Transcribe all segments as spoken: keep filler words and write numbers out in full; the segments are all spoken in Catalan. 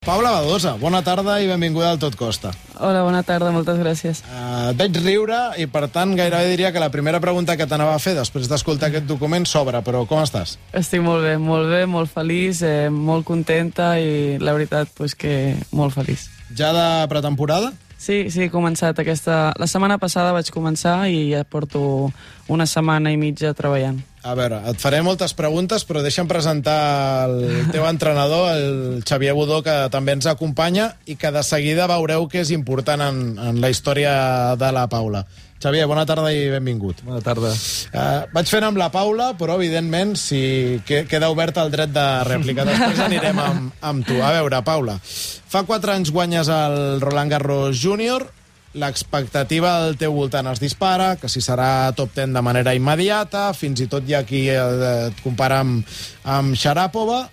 Paula Badosa, bona tarda i benvinguda al Tot Costa. Hola, bona tarda, moltes gràcies. Uh, et veig riure i, per tant, gairebé diria que la primera pregunta que t'anava a fer després d'escoltar aquest document s'obre, però com estàs? Estic molt bé, molt bé, molt feliç, eh, molt contenta i la veritat, pues, que molt feliç. Ja de pretemporada? Sí, sí, he començat aquesta... La setmana passada vaig començar i ja porto una setmana i mitja treballant. A veure, et faré moltes preguntes, però deixa'm presentar el teu entrenador, el Xavier Budó, que també ens acompanya i que de seguida veureu que és important en, en la història de la Paula. Xavier, bona tarda i benvingut. Bona tarda. Uh, vaig fent amb la Paula, però, evidentment, si queda obert el dret de rèplica. Després anirem amb, amb tu. A veure, Paula, fa quatre anys guanyes el Roland Garros Júnior, l'expectativa al teu voltant es dispara, que si serà top deu de manera immediata, fins i tot hi ha qui et compara amb, amb Sharapova.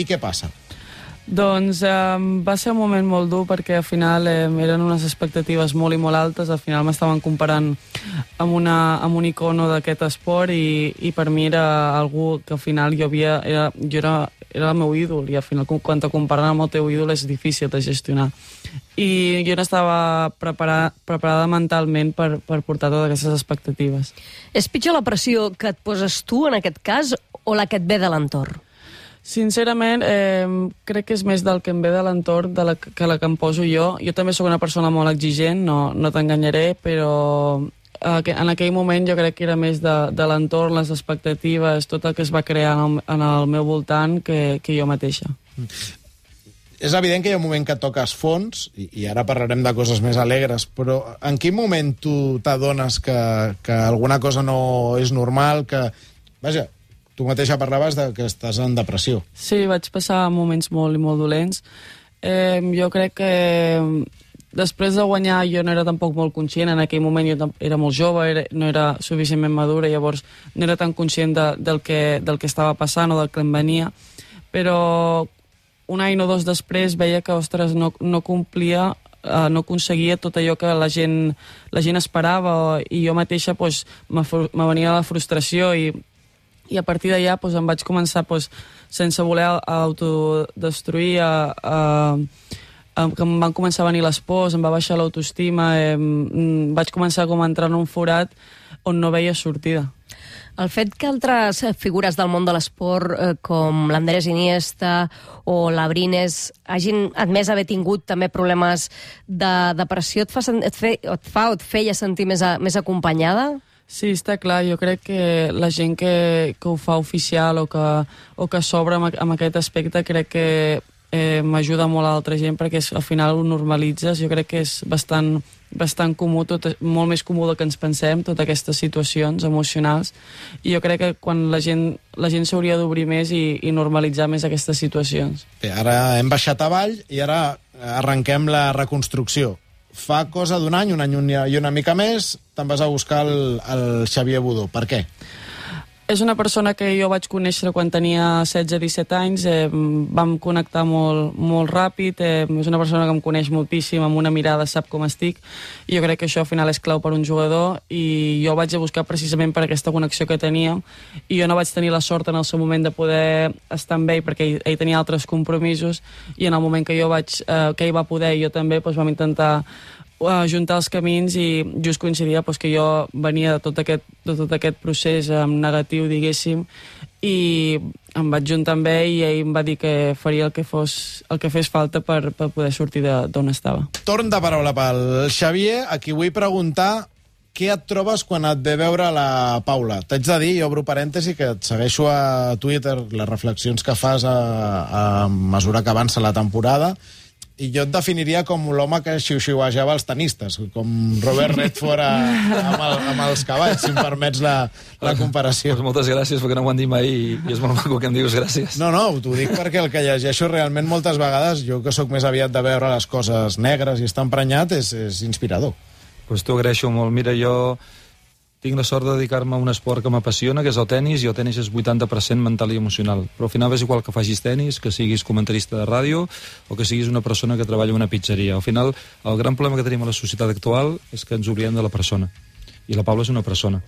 I què passa? Doncs eh, va ser un moment molt dur perquè al final eh, eren unes expectatives molt i molt altes, al final m'estaven comparant amb, una, amb un icono d'aquest esport i, i per mi era algú que al final jo havia... Era, jo era, era el meu ídol i al final quan te comparen amb el teu ídol és difícil de gestionar. I jo no estava preparada, preparada mentalment per, per portar totes aquestes expectatives. És pitjor la pressió que et poses tu en aquest cas o la que et ve de l'entorn? Sincerament, eh, crec que és més del que em ve de l'entorn de la, que la que em poso jo. Jo també sóc una persona molt exigent, no, no t'enganyaré, però eh, en aquell moment jo crec que era més de, de l'entorn, les expectatives, tot el que es va crear en el, en el meu voltant que, que jo mateixa. És evident que hi ha un moment que toques fons, i, i ara parlarem de coses més alegres, però en quin moment tu t'adones que, que alguna cosa no és normal, que... Vaja, tu mateixa parlaves de que estàs en depressió. Sí, vaig passar moments molt i molt dolents. Eh, jo crec que després de guanyar jo no era tampoc molt conscient, en aquell moment jo era molt jove, era, no era suficientment madura, llavors no era tan conscient de, del, que, del que estava passant o del que em venia, però un any o dos després veia que, ostres, no, no complia, eh, no aconseguia tot allò que la gent, la gent esperava i jo mateixa pues, me venia la frustració i i a partir d'allà doncs, em vaig començar, doncs, sense voler autodestruir, a, a, a, que em van començar a venir les pors, em va baixar l'autoestima, eh, vaig començar com a entrar en un forat on no veia sortida. El fet que altres figures del món de l'esport, eh, com l'Andrés Iniesta o l'Abrines, hagin admès haver tingut també problemes de depressió, et fa, et fe, et fa o et feia sentir més, a, més acompanyada? Sí, està clar. Jo crec que la gent que, que ho fa oficial o que, o que s'obre amb, amb aquest aspecte crec que eh, m'ajuda molt a altra gent perquè és, al final ho normalitzes. Jo crec que és bastant, bastant comú, tot, molt més comú del que ens pensem, totes aquestes situacions emocionals. I jo crec que quan la gent la gent s'hauria d'obrir més i, i normalitzar més aquestes situacions. Bé, ara hem baixat avall i ara arrenquem la reconstrucció. Fa cosa d'un any, un any i una mica més, te'n vas a buscar el, el Xavier Budó. Per què? És una persona que jo vaig conèixer quan tenia setze disset anys, eh, vam connectar molt, molt ràpid, eh, és una persona que em coneix moltíssim, amb una mirada sap com estic, i jo crec que això al final és clau per un jugador, i jo vaig a buscar precisament per aquesta connexió que teníem, i jo no vaig tenir la sort en el seu moment de poder estar amb ell, perquè ell, ell tenia altres compromisos, i en el moment que jo vaig, eh, que ell va poder, jo també, doncs vam intentar juntar els camins i just coincidia doncs, que jo venia de tot aquest, de tot aquest procés eh, negatiu, diguéssim, i em vaig juntar amb ell i ell em va dir que faria el que, fos, el que fes falta per, per poder sortir d'on estava. Torn de paraula pel Xavier, a qui vull preguntar què et trobes quan et ve veure la Paula. T'haig de dir, jo obro parèntesi, que et segueixo a Twitter les reflexions que fas a, a mesura que avança la temporada, i jo et definiria com l'home que xiu-xiuejava els tenistes, com Robert Redford a, amb, el, amb els cavalls, si em permets la, la comparació. Pues moltes gràcies, perquè no ho han dit mai i, i és molt maco que em dius gràcies. No, no, t'ho dic perquè el que llegeixo realment moltes vegades, jo que sóc més aviat de veure les coses negres i estar emprenyat, és, és inspirador. Pues t'ho agraeixo molt. Mira, jo tinc la sort de dedicar-me a un esport que m'apassiona, que és el tenis, i el tenis és vuitanta per cent mental i emocional. Però al final és igual que facis tenis, que siguis comentarista de ràdio o que siguis una persona que treballa en una pizzeria. Al final, el gran problema que tenim a la societat actual és que ens oblidem de la persona. I la Paula és una persona.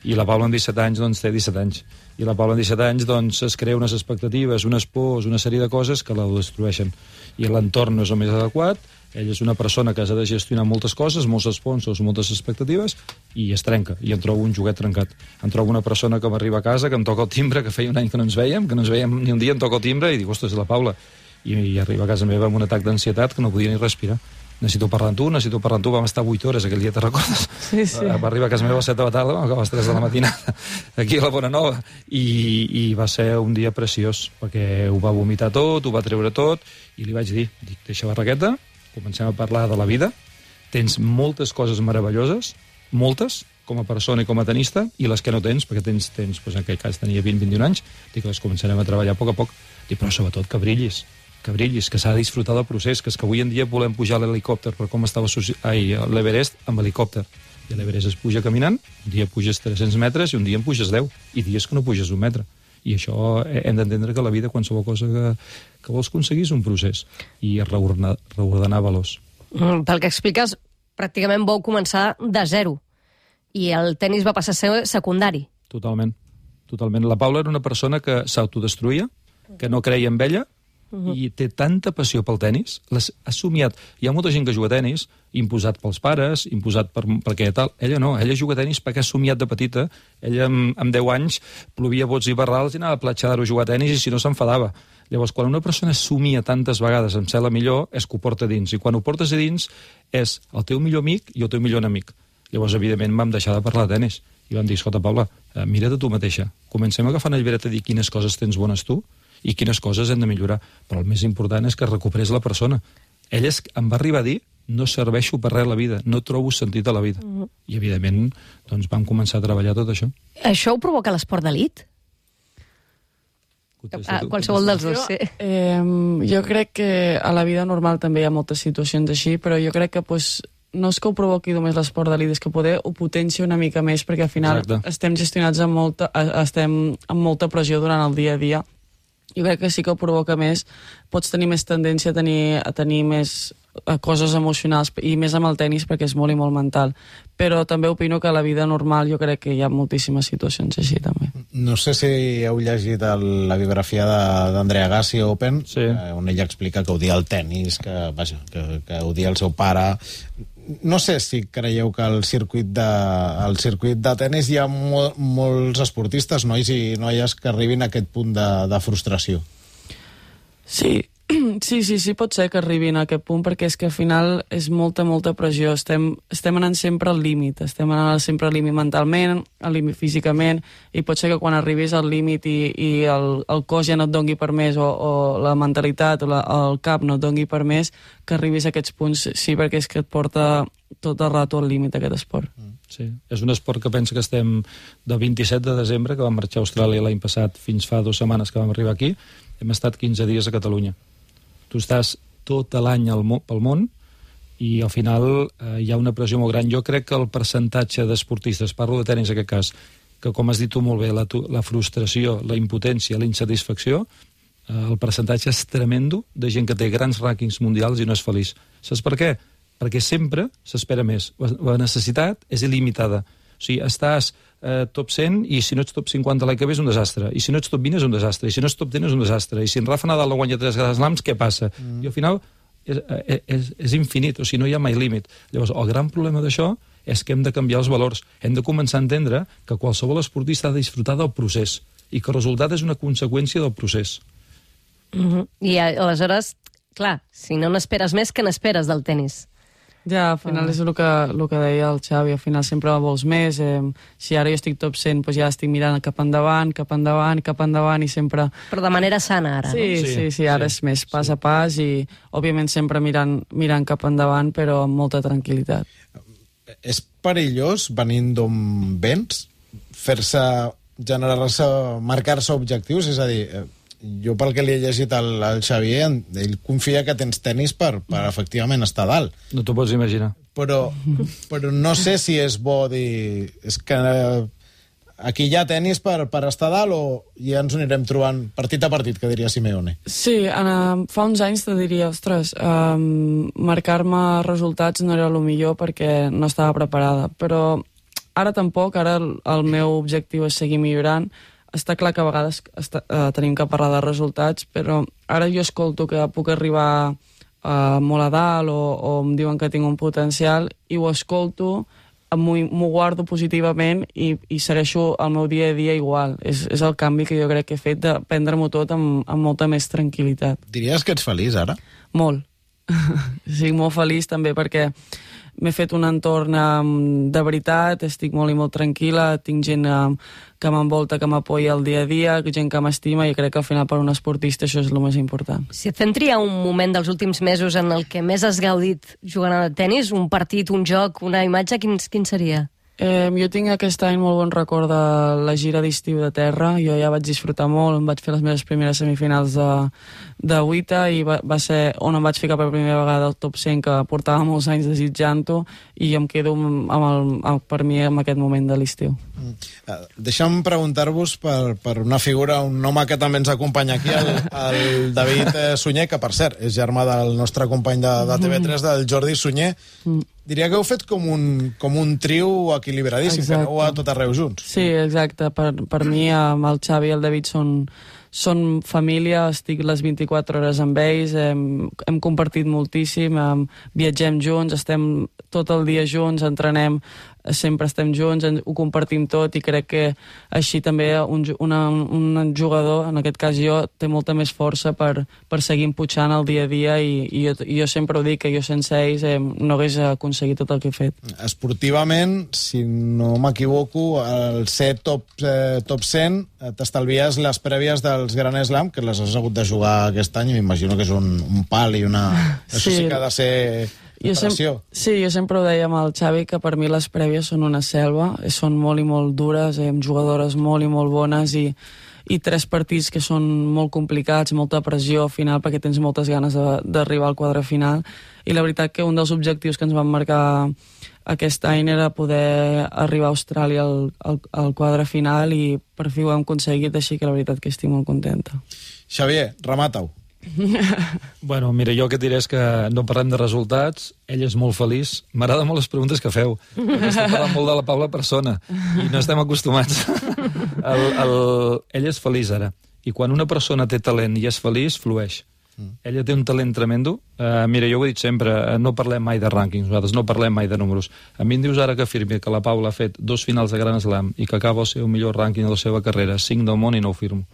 I la Paula amb disset anys, doncs, té disset anys. I la Paula amb disset anys, doncs, es crea unes expectatives, unes pors, una sèrie de coses que la destrueixen. I l'entorn no és el més adequat, ella és una persona que ha de gestionar moltes coses, molts sponsors, moltes expectatives, i es trenca, i em trobo un joguet trencat. Em trobo una persona que m'arriba a casa, que em toca el timbre, que feia un any que no ens veiem, que no ens veiem ni un dia, em toca el timbre, i dic, ostres, és la Paula. I, i arriba a casa meva amb un atac d'ansietat que no podia ni respirar. Necessito parlar amb tu, necessito parlar amb tu, vam estar vuit hores aquell dia, te recordes? Sí, sí. Va arribar a casa meva a les set de la tarda, vam acabar a les tres de la matinada, aquí a la Bona Nova, i, i va ser un dia preciós, perquè ho va vomitar tot, ho va treure tot, i li vaig dir, dic, deixa la raqueta, comencem a parlar de la vida, tens moltes coses meravelloses, moltes, com a persona i com a tenista, i les que no tens, perquè tens, tens doncs en aquell cas tenia vint a vint i un anys, dic, les començarem a treballar a poc a poc, dic, però sobretot que brillis, que brillis, que s'ha de disfrutar del procés, que és que avui en dia volem pujar l'helicòpter per com estava l'Everest amb helicòpter. I l'Everest es puja caminant, un dia puges tres-cents metres i un dia en puges deu, i dies que no puges un metre. I això hem d'entendre que la vida, qualsevol cosa que, que vols aconseguir, és un procés, i reordenar, reordenar valors. Mm, pel que expliques, pràcticament vau començar de zero, i el tennis va passar a ser secundari. Totalment, totalment. La Paula era una persona que s'autodestruïa, que no creia en ella, Uh-huh. i té tanta passió pel tenis, l'ha somiat. Hi ha molta gent que juga a tenis, imposat pels pares, imposat per, perquè tal. Ella no, ella juga a tenis perquè ha somiat de petita. Ella, amb, amb deu anys, plovia bots i barrals i anava a platja d'Aro a jugar a tenis, i si no s'enfadava. Llavors, quan una persona somia tantes vegades en ser la millor, és que ho porta dins. I quan ho portes a dins, és el teu millor amic i el teu millor enemic. Llavors, evidentment, vam deixar de parlar de tenis. I vam dir, escolta, Paula, mira't a tu mateixa. Comencem agafant el llibret a dir quines coses tens bones tu, i quines coses hem de millorar. Però el més important és que recuperes la persona. Ella es, em va arribar a dir, no serveixo per res a la vida, no trobo sentit a la vida. Uh-huh. I, evidentment, doncs, vam començar a treballar tot això. Això ho provoca l'esport d'elit? Ah, qualsevol dels dos, sí. Eh, jo crec que a la vida normal també hi ha moltes situacions així, però jo crec que pues, no és que ho provoqui només l'esport d'elit, és que poder ho potencia una mica més, perquè al final Exacte. estem gestionats amb molta, estem amb molta pressió durant el dia a dia. Jo crec que sí que ho provoca més, pots tenir més tendència a tenir, a tenir més a coses emocionals, i més amb el tenis perquè és molt i molt mental. Però també opino que a la vida normal jo crec que hi ha moltíssimes situacions així també. No sé si heu llegit el, la biografia d'Andrea Agassi a Open, sí. eh, on ella explica que odia el tenis, que, vaja, que, que odia el seu pare. No sé si creieu que al circuit de, al circuit de tenis hi ha mol, molts esportistes, nois i noies, que arribin a aquest punt de, de frustració. Sí, sí, sí, sí, pot ser que arribin a aquest punt, perquè és que al final és molta, molta pressió. Estem, estem anant sempre al límit, estem anant sempre al límit mentalment, al límit físicament, i pot ser que quan arribis al límit i, i el, el cos ja no et dongui per més, o, o la mentalitat o la, el cap no et dongui per més, que arribis a aquests punts, sí, perquè és que et porta tot el rato al límit aquest esport. Sí, és un esport que pensa que estem del vint-i-set de desembre, que vam marxar a Austràlia l'any passat, fins fa dues setmanes que vam arribar aquí, hem estat quinze dies a Catalunya. Tu estàs tot l'any pel món i al final eh, hi ha una pressió molt gran. Jo crec que el percentatge d'esportistes, parlo de tenis en aquest cas, que com has dit tu molt bé, la, la frustració, la impotència, la insatisfacció, eh, el percentatge és tremendo de gent que té grans rànquings mundials i no és feliç. Saps per què? Perquè sempre s'espera més. La necessitat és il·limitada. O sigui, estàs eh, top cent i si no ets top cinquanta l'any que ve és un desastre. I si no ets top vint és un desastre. I si no ets top deu és un desastre. I si en Rafa Nadal no guanya tres Grand Slams, què passa? Mm. I al final és, és, és infinit, o sigui, no hi ha mai límit. Llavors, el gran problema d'això és que hem de canviar els valors. Hem de començar a entendre que qualsevol esportista ha de disfrutar del procés i que el resultat és una conseqüència del procés. Mm-hmm. I aleshores, clar, si no n'esperes més, què n'esperes del tenis? Ja, al final és el que, el que deia el Xavi, al final sempre vols més, eh, si ara jo estic top cent, doncs ja estic mirant cap endavant, cap endavant, cap endavant i sempre... Però de manera sana ara, sí, no? Sí, sí, sí, ara sí, és més pas sí. a pas i òbviament sempre mirant, mirant cap endavant, però amb molta tranquil·litat. És perillós, venint d'on vens, fer-se, generar-se, marcar-se objectius, és a dir... Jo, pel que li he llegit al, al Xavier, ell confia que tens tenis per, per efectivament estar dalt. No t'ho pots imaginar. Però, però no sé si és bo dir... És que aquí hi ha tenis per, per estar dalt o ja ens ho anirem trobant partit a partit, que diria Simeone. Sí, uh, fa uns anys te diria, ostres, um, marcar-me resultats no era el millor perquè no estava preparada, però ara tampoc, ara el, el meu objectiu és seguir millorant. Està clar que a vegades està, uh, tenim que parlar de resultats, però ara jo escolto que puc arribar uh, molt a dalt o, o em diuen que tinc un potencial i ho escolto, m'ho guardo positivament i, i segueixo el meu dia a dia igual. És, és el canvi que jo crec que he fet de prendre-m'ho tot amb, amb molta més tranquil·litat. Diries que ets feliç ara? Molt. Estic molt feliç també perquè m'he fet un entorn um, de veritat, estic molt i molt tranquil·la, tinc gent um, que m'envolta, que m'apoya el dia a dia, gent que m'estima, i crec que al final per un esportista això és el més important. Si et fem triar un moment dels últims mesos en el que més has gaudit jugant a tenis, un partit, un joc, una imatge, quin, quin seria? Eh, jo tinc aquest any molt bon record de la gira d'estiu de terra. Jo ja vaig disfrutar molt, em vaig fer les meves primeres semifinals de, de W I T A i va, va ser on em vaig ficar per primera vegada al top cent, que portava molts anys desitjant-ho, i em quedo amb el, amb, per mi en aquest moment de l'estiu. Mm. Uh, deixa'm preguntar-vos per, per una figura, un home que també ens acompanya aquí, el, el David Sunyer, que per cert és germà del nostre company de, de T V tres, del Jordi Sunyer. Mm. Diria que heu fet com un, com un trio equilibradíssim, exacte, que aneu a tot arreu junts. Sí, exacte. Per, per mi, amb el Xavi i el David són, són família, estic les vint-i-quatre hores amb ells, hem, hem compartit moltíssim, hem, viatgem junts, estem tot el dia junts, entrenem, sempre estem junts, ho compartim tot, i crec que així també un, una, un jugador, en aquest cas jo, té molta més força per, per seguir empujant el dia a dia, i, i jo, jo sempre ho dic, que jo sense ells eh, no hagués aconseguit tot el que he fet. Esportivament, si no m'equivoco, al ser top, eh, top cent t'estalvies les prèvies dels Grand Slam, que les has hagut de jugar aquest any, i m'imagino que és un, un pal i una... Sí. Això sí que ha de ser... Jo sempre, sí, jo sempre ho deia amb el Xavi, que per mi les prèvies són una selva, són molt i molt dures, amb jugadores molt i molt bones, i, i tres partits que són molt complicats, molta pressió al final, perquè tens moltes ganes d'arribar al quadre final, i la veritat que un dels objectius que ens van marcar aquest any era poder arribar a Austràlia al, al, al quadre final, i per fi ho hem aconseguit, així que la veritat que estic molt contenta. Xavier, remata-ho. Bueno, mira, jo el que diré és que no parlem de resultats, ell és molt feliç. M'agraden molt les preguntes que feu, perquè estem parlant molt de la Paula persona i no estem acostumats. el, el... Ell és feliç ara, i quan una persona té talent i és feliç, flueix. Mm. Ella té un talent tremendo. Uh, mira, jo ho he dit sempre, uh, no parlem mai de rànquings, nosaltres no parlem mai de números. A mi em dius ara que afirmi que la Paula ha fet dos finals de Grand Slam i que acaba el seu millor rànquing de la seva carrera, cinc del món, i no ho firmo.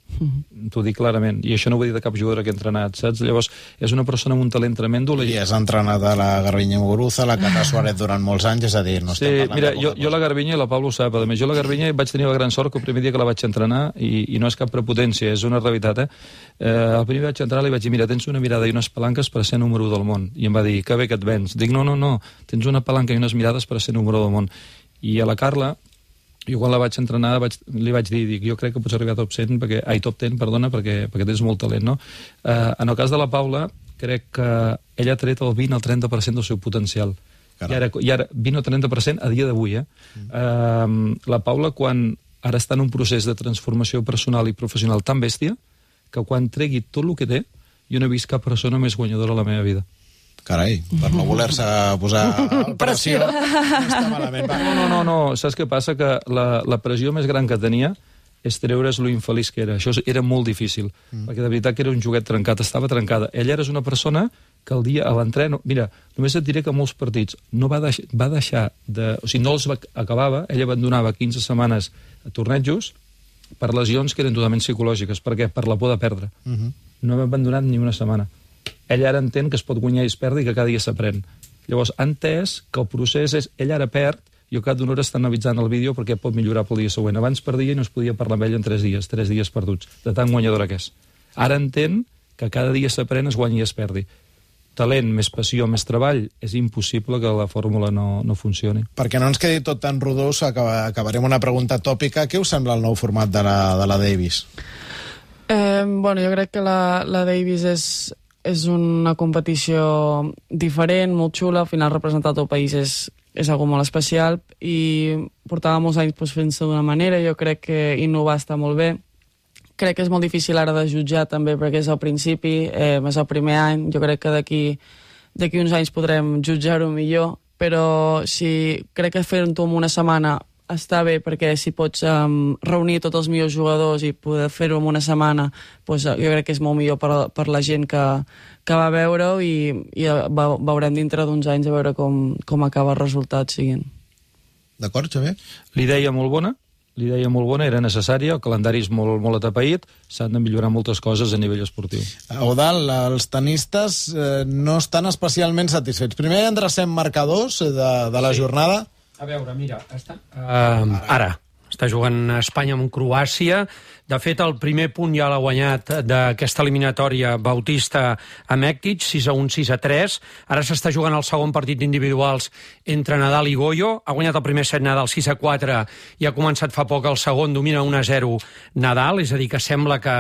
Mm-hmm. T'ho dic clarament, i això no ho he dit de cap jugadora que he entrenat, saps? Llavors, és una persona amb un talent tremendo. I has entrenat a la Garbiñe Muguruza, la Cata Suárez durant molts anys, és a dir, no sí, estem parlant mira, de jo, jo la Garbiñe, la Paula ho sap, a més, jo la Garbiñe vaig tenir la gran sort que el primer dia que la vaig entrenar, i, i no és cap prepotència, és una realitat, eh? eh el primer vaig entrar li vaig dir, mira, tens una mirada i unes palanques per ser número u del món, i em va dir, que bé que et vens. Dic, no, no, no, tens una palanca i unes mirades per ser número del món. I a la Carla, jo quan la vaig entrenar vaig, li vaig dir, dic, jo crec que pots arribar a top cent, perquè, ai, top ten, perdona, perquè, perquè tens molt talent, no? Eh, en el cas de la Paula, crec que ella ha tret el vint al trenta per cent del seu potencial. I ara, I ara vint o trenta per cent a dia d'avui, eh? Mm. eh? La Paula, quan ara està en un procés de transformació personal i professional tan bèstia, que quan tregui tot el que té, jo no he vist cap persona més guanyadora a la meva vida. Carai, per no voler-se posar pressió, no està malament. Va. No, no, no, no, saps què passa? Que la, la pressió més gran que tenia és treure's lo infeliç que era. Això era molt difícil, mm. perquè de veritat que era un joguet trencat, estava trencada. Ella era una persona que el dia a l'entreno... Mira, només et diré que molts partits no va, deix, va deixar de... O sigui, no els va, acabava, ella abandonava quinze setmanes a tornejos per lesions que eren totalment psicològiques. Per què? Per la por de perdre. Mm-hmm. No hem abandonat ni una setmana. Ella ara entén que es pot guanyar i es perd i que cada dia s'aprèn. Llavors, ha entès que el procés és... Ella ara perd, jo cada una hora està analitzant el vídeo perquè pot millorar pel dia següent. Abans perdia i no es podia parlar amb ella en tres dies, tres dies perduts, de tan guanyadora que és. Ara entén que cada dia s'aprèn, es guanyi i es perdi. Talent, més passió, més treball, és impossible que la fórmula no, no funcioni. Perquè no ens quedi tot tan rodós, acabarem una pregunta tòpica. Què us sembla el nou format de la, de la Davis? Eh, bueno, jo crec que la, la Davis és... és una competició diferent, molt xula, al final representar el país és, és algo molt especial, i portava molts anys pues, fent-se d'una manera, jo crec que innovar està molt bé. Crec que és molt difícil ara de jutjar també perquè és al principi, eh, és el primer any, jo crec que d'aquí d'aquí uns anys podrem jutjar-ho millor, però si crec que fer-ho en una setmana està bé, perquè si pots um, reunir tots els millors jugadors i poder fer-ho en una setmana, pues, jo crec que és molt millor per, per la gent que, que va veure-ho i, i veurem dintre d'uns anys a veure com, com acaba el resultat siguin. D'acord, Xavier? L'idea molt bona, l'idea molt bona, era necessària, el calendari és molt, molt atapeït, s'han de millorar moltes coses a nivell esportiu. Eudald, els tenistes eh, no estan especialment satisfets. Primer endrecem marcadors de, de la sí. jornada. A veure, mira, està... Uh, ara, està jugant Espanya amb Croàcia. De fet, el primer punt ja l'ha guanyat d'aquesta eliminatòria Bautista a Mèctic, sis a un, sis a tres. Ara s'està jugant el segon partit individuals entre Nadal i Goyo. Ha guanyat el primer set Nadal sis a quatre i ha començat fa poc el segon, domina un a zero Nadal, és a dir, que sembla que,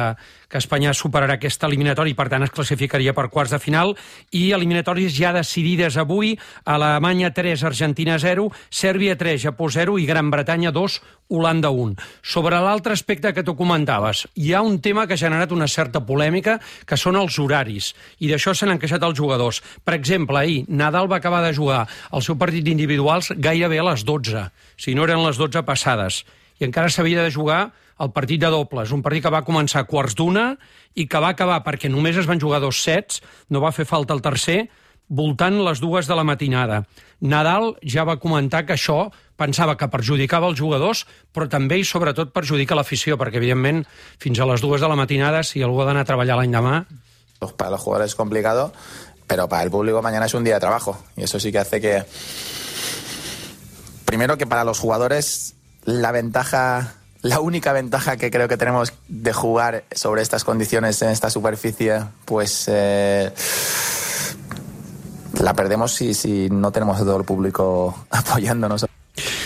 que Espanya superarà aquesta eliminatòria i per tant es classificaria per quarts de final. I eliminatòries ja decidides avui: Alemanya tres, Argentina zero, Sèrbia tres, Japó zero i Gran Bretanya dos, Holanda un. Sobre l'altre aspecte que tu comentaves, hi ha un tema que ha generat una certa polèmica, que són els horaris, i d'això se n'han queixat els jugadors. Per exemple, ahir Nadal va acabar de jugar el seu partit d'individuals gairebé a les dotze, si no eren les dotze passades, i encara s'havia de jugar el partit de dobles, un partit que va començar a quarts d'una i que va acabar, perquè només es van jugar dos sets, no va fer falta el tercer, voltant les dues de la matinada. Nadal ja va comentar que això pensava que perjudicava els jugadors, però també i sobretot perjudica l'afició, perquè evidentment fins a les dues de la matinada, si algú ha d'anar a treballar l'any demà... Para los jugadores es complicado, pero para el público mañana es un día de trabajo, y eso sí que hace que... Primero que para los jugadores la ventaja... La única ventaja que creo que tenemos de jugar sobre estas condiciones en esta superficie, pues... Eh... la perdemos si, si no tenemos todo el público apoyándonos.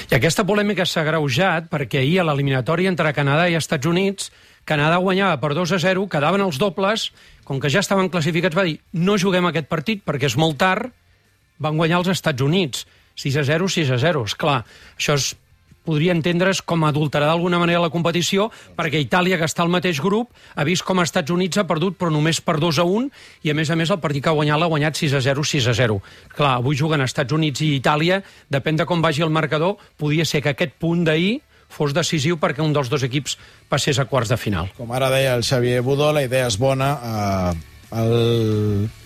I aquesta polèmica s'ha agreujat perquè ahir a l'eliminatòria entre Canadà i Estats Units, Canadà guanyava per dos a zero, quedaven els dobles, com que ja estaven classificats va dir no juguem aquest partit perquè és molt tard, van guanyar els Estats Units, sis a zero, sis a zero. Esclar, això es podria entendre's com a adulterar d'alguna manera la competició, perquè Itàlia, que està al mateix grup, ha vist com els Estats Units ha perdut, però només per dos a un, i a més a més el partit que ha guanyat l'ha guanyat sis a zero, sis a zero. Clar, avui juguen Estats Units i Itàlia, depèn de com vagi el marcador, podia ser que aquest punt d'ahir fos decisiu perquè un dels dos equips passés a quarts de final. Com ara deia el Xavier Budó, la idea és bona, eh...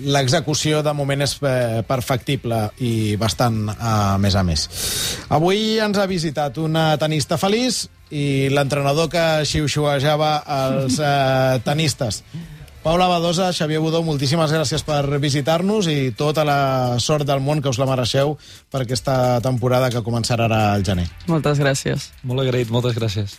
l'execució de moment és perfectible i bastant a més a més. Avui ens ha visitat una tenista feliç i l'entrenador que xiu-xiuejava els eh, tenistes. Paula Badosa, Xavier Budó, moltíssimes gràcies per visitar-nos i tota la sort del món que us la mereixeu per aquesta temporada que començarà ara al gener. Moltes gràcies. Molt agraït, moltes gràcies.